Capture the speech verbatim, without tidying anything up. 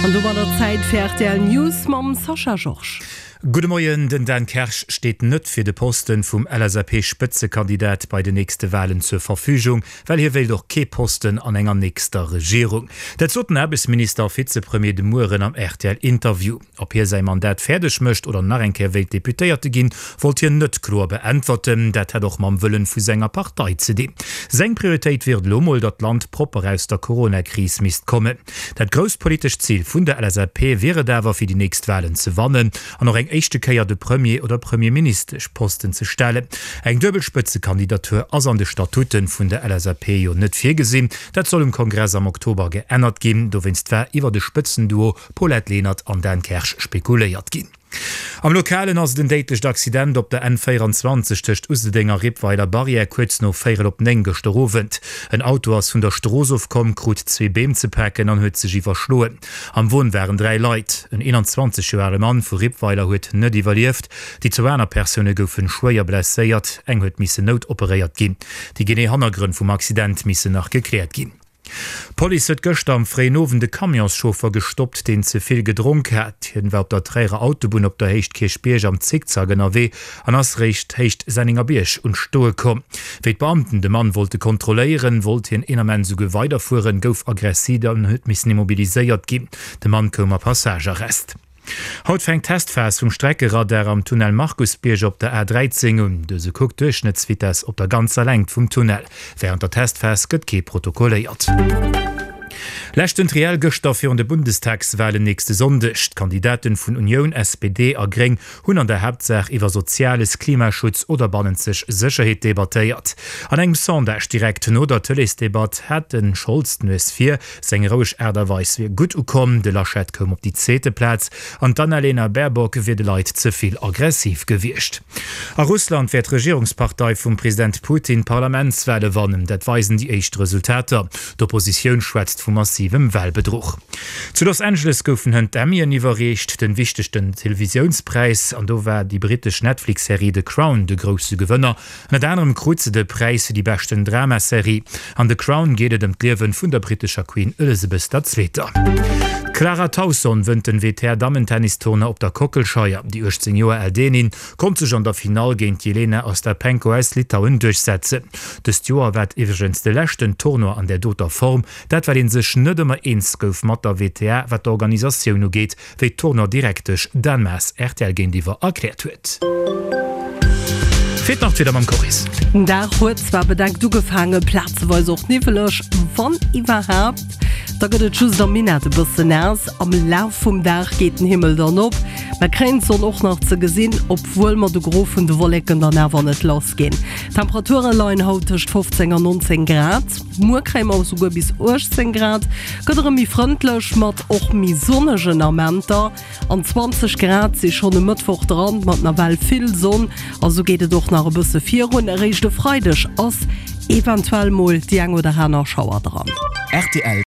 An domadder Zäit fir rtl News mam Sascha Georges. Gudde Moien, Den Dan Kersch steet net fir de Posten vum L S A P-Spëtzekandidat bei den nächste Walen zur Verfügung, well hie wéilt och kee Posten an enger nächster Regierung. Dat sot den Aarbechtsminister a Vizepremier de Mueren am R T L-Interview. Ob hie säi Mandat fäerdeg mécht oder nach eng Kéier wéilt Deputéierte ginn, wollt hien net kloer beäntwerten. Dat hätt och mam Wëllen vu senger Partei ze dinn. Seng Prioritéit wier et elo mol, datt d'Land propper aus der Corona-Kris misst kommen. Dat grousst politescht Zil vun der L S A P wier et awer, fir déi nächst Walen ze wannen an och eng éischte Kéier de Premier oder Premierministeschposten ze stellen. Eng duebel Spëtzekandidatur ass an de Statuten vun der L S A P jo net virgesinn. Dat soll um Kongress am Oktober geännert ginn. Dowéinst war iwwer de Spëtzenduo Paulette Lenert an Dan Kersch spekuléiert ginn. Am Lokalen ass et en déidlecht Accident op der N véierenzwanzeg tëscht Useldeng a Rippweiler Barrière kuerz no véierel op néng gëschter Owend. En Auto ass vun der Strooss ofkomm, krut zwee Beem ze paken an huet sech iwwerschloen. Am Won waren dräi Leit. En eenanzwanzeg Joer ale Mann vu Rippweiler huet net iwwerlieft. Déi zwou aner Persoune goufe schwéier blesséiert, eng huet missen noutoperéiert ginn. Déi genee Hannergrënn vum Accident missen nach gekläert ginn. D'Police huet gëschter am fréien Owend e Camionschauffer gestoppt, deen ze vill gedronk hat. Hien war op der Tréierer Autobunn op der Héicht Kierchbierg am Zickzack ënnerwee an ass réischt Héicht Sennengerbierg un d'Stoe komm. Wéi d'Beamten de Mann wollte kontrolléieren, wollt hien een Ament souguer weiderfueren, gouf aggressiv an huet missen immobiliséiert ginn. De Mann koum a Passagearrest. Haut fänkt d'Testphas vum Streckeradar am Tunnel Markusbierg op der A dräizéng un. Dëse kuckt d'Duerchschnëttsvitess op der ganzer Längt vum Tunnel. Wärend der Testphas gëtt kee protokolléiert. Leschten Triell gëschter virun de Bundestagswalen nächste Sonndeg. D'Kandidaten vun Unioun, S P D a Gréng hunn an der Haaptsaach iwwer Soziales, Klimaschutz oder bannenzeg Sécherheet debattéiert. An engem Sondage direkt no der Tëleesdebatt hat de Scholz d'Nues vir, seng roueg Aart a Weis wier gutt ukomm, de Laschet koum op déi zweete Plaz an d'Annalena Baerbock wier de Leit ze vill aggressiv gewiescht. A Russland wäert d'Regierungspartei vum President Putin d'Parlamentswale wannen, dat weisen déi éischt Resultater. D'Oppositioun schwätzt vu massivem Walbedruch. Zu Los Angeles goufen hënt d'Emmyen iwwerreecht, den wichtegsten Televisiounspräis, an do war déi brittesch Netflix-Serie The Crown de grousse Gewënner. Ënnert anerem krut se de Präis fir déi beschten Dramaserie. An The Crown geet et ëm d'Liewe vun der brittescher Queen Elizabeth der Zweeter. D'Clara Tauson wënnt den W T A-Dammentennis-Tournoi op der Kockelscheier. Déi uechtzéng Joer al Dänin konnt sech an der Finall géint d'Jelena Ostapenko aus Litauen duerchsetzen. Dëst Joer war et iwwregens de leschten Tournoi an där doter Form, dat well ee sech net ëmmer eens gouf mat der W T A wat d'Organisatioun ugeet, wéi d'Tournoi-Direktesch Dan Maas R T L géintiwwer erkläert huet. Feelt nach d'Wieder mam Coris. Den Dag huet zwar bedeckt ugefaangen, plazeweis och niwweleg, wann iwwerhaapt, da gëtt et just am Minett e bëssen naass. Am Laf vum Dag geet den Himmel dann op, mer kréien d'Sonn och nach ze gesinn, obwuel mer de Gros vun de Wolleken dann awer net lass ginn. D'Temperature leien haut tëscht fofzéng an nonzéng Grad, muer kréie mer esouguer bis uechtzéng Grad, gëtt erëm méi frëndlech mat och méi sonnegen Amenter an zwanzeg Grad si schonn e Mëttwoch dran, mat nawell vill Sonn a sou geet et och nach e bësse virun. Eréischt e Freideg ass eventuell mol déi eng oder aner Schauer dran. R T L.